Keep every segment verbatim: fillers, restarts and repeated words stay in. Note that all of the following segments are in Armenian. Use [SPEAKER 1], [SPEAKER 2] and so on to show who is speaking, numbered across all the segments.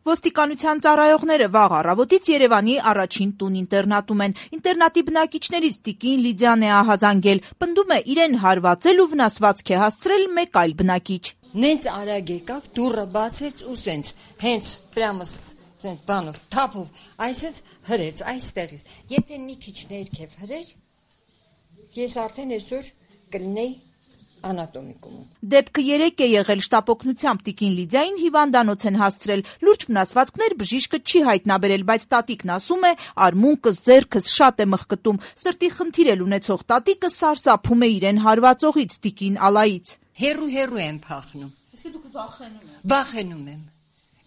[SPEAKER 1] Ոստիկանության ծառայողները վաղ առավոտից Երևանի առաջին տուն ինտերնատում են։ Ինտերնատի բնակիչներից տիկին Լիդիան է ահազանգել, պնդում է իրեն հարվածել ու վնասվածք է հասցրել մեկ այլ բնակիչ։
[SPEAKER 2] Նենց արագ եկավ, դուռը բացեց ու սենց, հենց պրամը սենց բանով, թափով, այսպես հրեց, այստեղից։ Եթե մի քիչ ներքև հրեր, ես արդեն այսօր կլինեի անատոմիկում։
[SPEAKER 1] Դեպքը երեկ է եղել, շտապօգնությամբ տիկին Լիդիային հիվանդանոց են հասցրել։ Լուրջ վնասվածքներ բժիշկը չի հայտնաբերել, բայց տատիկն ասում է, արմունկս, ձեռքս շատ է մխկտում։ Սրտի խնդիր էլ ունեցող տատիկը սարսափում է իրեն հարվածողից տիկին Ալայից։
[SPEAKER 2] Հերու-հերու եմ փախնում։
[SPEAKER 1] Իսկ դուք վախենում եք։
[SPEAKER 2] Վախենում եմ։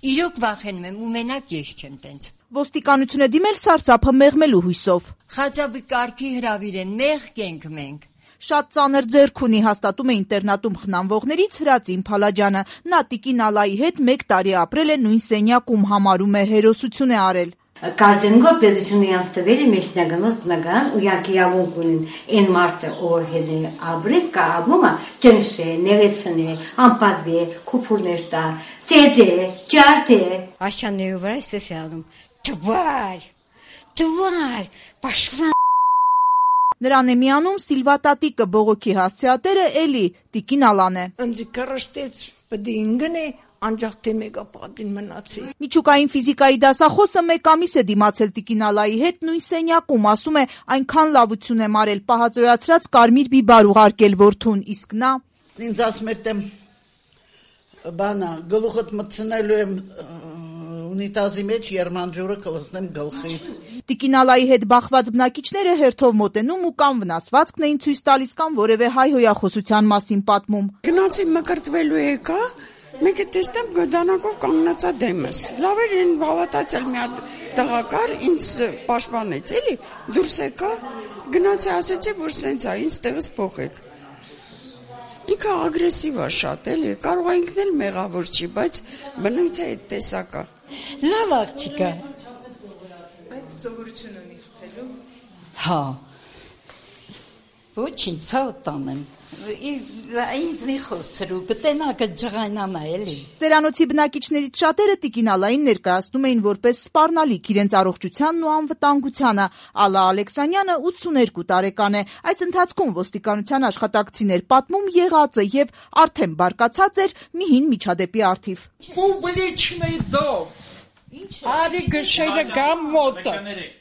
[SPEAKER 2] Իրոք վախենում եմ, ու մենակ ես չեմ տենց։
[SPEAKER 1] Ոստիկանություն է դիմել սարսափը մեղմելու հույսով։
[SPEAKER 2] Խաչապի կարգի հրավիր են, մեղք ենք մենք։
[SPEAKER 1] Շատ ծանր ձեռք ունի, հաստատում է ինտերնատում խնամվողներից Հրածին Փալաջյանը։ Նա տիկին Ալայի հետ մեկ տարի ապրել է նույն սենյակում, համարում է հերոսություն է արել։
[SPEAKER 3] Կազենգոր պետությունը յանց տվել է մեջնագանոց բնական ու յակիավունք ունին այն մարդը, ով հետ է ապրել, կա ապրումը ճնշե, ներեցնե, անպատվե, քուփուրներ տա, տեդե, ջարդե։
[SPEAKER 4] Աշանների վրա էսպես է անում։ Թվար, թվար, պաշտպան։
[SPEAKER 1] Նրան է միանում Սիլվա տատիկը, բողոքի հասցեատերը էլի տիկին Ալան է։
[SPEAKER 5] Ընդ կրշտեց, պետք է ինգնե անջախ թե մեգապատին մնացի։
[SPEAKER 1] Միջուկային ֆիզիկայի դասախոսը մեկ ամիս է դիմացել տիկին Ալայի հետ նույն սենյակում, ասում է, այնքան լավություն եմ արել, պահածոյացրած կարմիր բիբար ուղարկել որդուն, իսկ նա
[SPEAKER 5] ինձ ասում էր դեմ բանա գլուխդ մտցնելու եմ ունիտազի մեջ երմանջուրը կլսնեմ գլխի։
[SPEAKER 1] Տիկին Ալայի հետ բախված բնակիչները հերթով մոտենում ու կամ վնասվածքն էին ցույց տալիս, կամ որևէ հայ հոյախոսության մասին պատմում։
[SPEAKER 5] Գնացի մկրտվելու եկա, մեկը տեսնեմ գդանակով կանգնածա դեմս։ Լավ էր այն հավատացել մի հատ տղակար ինձ պաշտպանեց, էլի դուրս եկա, գնացի ասեցի, որ սենց է, ինձ տեղս փոխեք։ Ինքը ագրեսիվ է շատ, էլի, կարող է ինքն էլ մեղավոր չի, բայց բնույթը այդ տեսակա։
[SPEAKER 4] Լավ աղջիկա։
[SPEAKER 6] Այդ սովորություն ունի խփելու։
[SPEAKER 4] Հա։ Ոչինչ, ցա տանեմ։ Ինձ մի խոսրու, կտենա կջղայնանա էլի։
[SPEAKER 1] Ծերանոցի բնակիչներից շատերը տիկին Ալային ներկայացնում էին որպես սպառնալիք իրենց առողջությանն ու անվտանգությանը։ Ալա Ալեքսանյանը ութսուներկու տարեկան է։ Այս ընթացքում ոստիկանության աշխատակցիներ պատմում եղածը եւ արդեն բարկացած էր մի հին միջադեպի առթիվ։
[SPEAKER 6] Պուբլիչնի դոմ։ Արի գշերը գամ մոտը։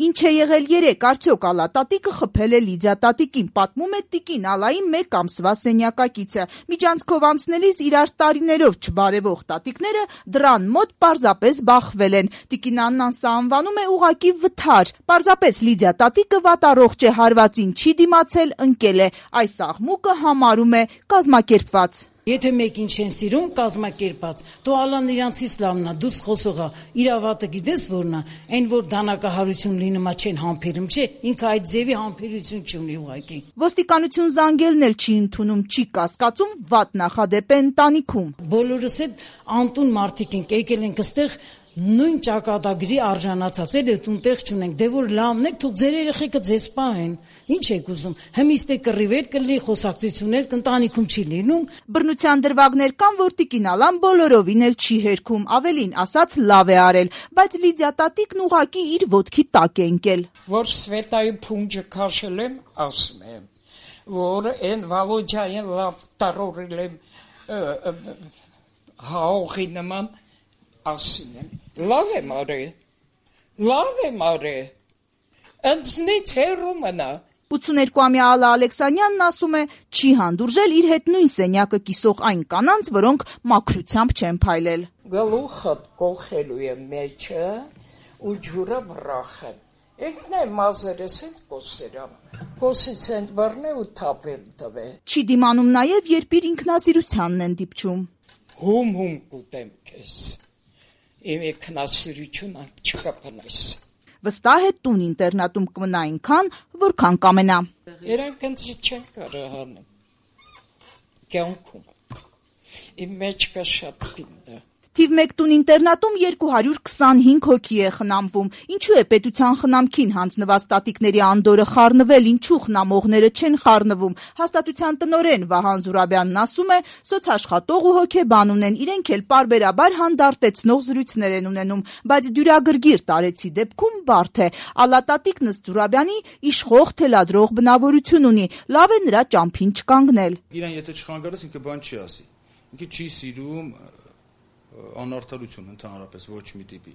[SPEAKER 1] Ինչ է եղել երեկ, արդյոք Ալա տատիկը խփել է Լիդիա տատիկին, պատմում է տիկին Ալայի մեկ ամսվա սենյակակիցը։ Միջանցքով անցնելիս իրար տարիներով չբարևող տատիկները դռան մոտ պարզապես բախվել են։ Տիկին Աննան սա անվանում է ուղակի վթար։ Պարզապես Լիդիա տատիկը վատառողջ է, հարվածին չի դիմացել, ընկել է։ Այս աղմուկը համարում է կազմակերպված։
[SPEAKER 7] Եթե մեկին չեն սիրում, կազմակերպած, դու Ալան իրանցից լավն է, դուս խոսողա, իրավատը գիտես որն է, այն որ դանակահարություն լինում է չեն համբերում, չէ, ինքը այդ ձևի համբերություն չունի ուղղակի։
[SPEAKER 1] Ոստիկանություն զանգելն էլ չի ընդունում, չի կասկածում, վատ նախադեպ է ընտանիքում։
[SPEAKER 7] Բոլորս էլ անտուն մարդիկ ենք, եկել ենք այստեղ նույն ճակատագրի արժանացած էլ է տունտեղ չունենք, դե որ լավն եք, թող ձեր երեխեքը ձեզ պահեն։ Ինչ եք ուզում, հմիստ է կռիվեր կլինի, խոսակցություններ կընտանիքում չի լինում։
[SPEAKER 1] Բռնության դրվագներ կան, որ տիկին Ալան բոլորովին էլ չի հերքում, ավելին ասած լավ է արել, բայց Լիդիա տատիկն ուղակի իր ոտքի տակ է ընկել։
[SPEAKER 6] Որ Սվետայի փունջը քաշել եմ, ասում եմ, որ այն Վալոջային լավ տարորել եմ հաղողի նման, ասում եմ, լավ եմ արել, լավ եմ արել, ընձնից հեռու մնա։
[SPEAKER 1] ութսուներկուամյա Ալա Ալեքսանյանն ասում է, չի հանդուրժել իր հետ նույն սենյակը կիսող այն կանանց, որոնք մաքրությամբ չեն փայլել։
[SPEAKER 6] Գլուխը կողելու եմ մեջը ու ջուրը վրախեմ։ Ինքն է մազերս հետ կոսերամ, կոսից են բռնե ու թափեմ տվե։
[SPEAKER 1] Չի դիմանում նաև, երբ իր ինքնասիրությանն են դիպչում։
[SPEAKER 6] Հում-հում կուտեմ քեզ, իմ ինքնասիրությունը չկապնես։
[SPEAKER 1] Վստահ է տուն ինտերնատում կմնա այնքան, որքան կամենա։
[SPEAKER 6] Իրանք ինձ չեն կարող անել։ Կյանքում։ Իմ մեջ կա շատ գինը։
[SPEAKER 1] Թիվ մեկ տուն ինտերնատում երկու հարյուր քսանհինգ հոգի է խնամվում։ Ինչու է պետության խնամքին հանձնված տատիկների անդորը խառնվել, ինչու խնամողները չեն խառնվում։ Հաստատության տնօրեն Վահան Զուրաբյանն ասում է, սոցաշխատող ու հոգեբան ունեն, իրենք էլ պարբերաբար հանդարտեցնող զրույցներ են ունենում, բայց դյուրագրգիռ տարեցի դեպքում բարդ է։ Ալատատիկն ըստ Զուրաբյանի իշխող թելադրող բնավորություն ունի, լավ է նրա ճամփին չկանգնել։
[SPEAKER 8] Իրան եթե չխանգարես, ինքը բան չի ասի։ Ինքը չի սիրում անարդարություն ընդհանրապես ոչ մի տիպի։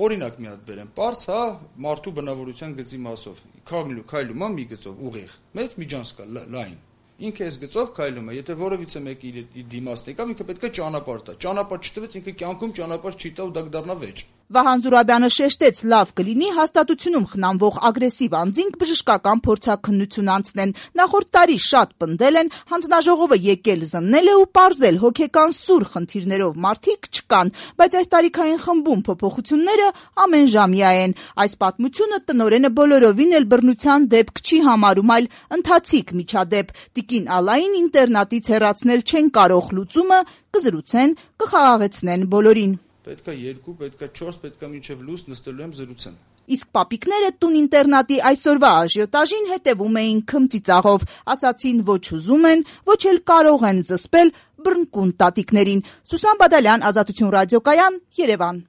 [SPEAKER 8] Օրինակ մի հատ բերեմ, պարզ, հա, մարդու բնավորության գծի մասով։ Քայլում, քայլում է մի գծով ուղիղ, մեծ միջանց կա, լայն։ Ինքը այս գծով քայլում է, եթե որևիցե մեկը իր դիմացն եկավ, ինքը պետք է ճանապարհ տա։ Ճանապարհ չտվեց, ինքը կյանքում ճանապարհ չի տա ու դա կդառնա վեճ։
[SPEAKER 1] Վահան Զուրաբյանը շեշտեց, լավ կլինի հաստատությունում խնամվող ագրեսիվ անձինք բժշկական փորձաքննություն անցնեն։ Նախորդ տարի շատ պնդել են, հանձնաժողովը եկել զննել է ու պարզել հոգեկան սուր խնդիրներով մարդիկ չկան, բայց այս տարիքային խմբում փոփոխությունները ամենժամյա են։ Այս պատմությունը տնօրենը բոլորովին էլ բռնության դեպք չի համարում, այլ ընթացիկ միջադեպ։ Տիկին Ալային ինտերնատից հեռացնել չեն կարող, լուծումը կզրուցեն, կխաղաղեցնեն բոլորին։
[SPEAKER 8] Պետքա երկու, պետքա չորս, պետքա մինչև լույս նստելու եմ զրուցեմ։
[SPEAKER 1] Իսկ պապիկները տուն ինտերնատի այսօրվա աժիոտաժին հետևում էին քմծիծաղով, ասացին ոչ ուզում են, ոչ էլ կարող են զսպել բռնկուն տատիկներին։ Սուսան Բադալյան, Ազատություն ռադիոկայան, Երևան։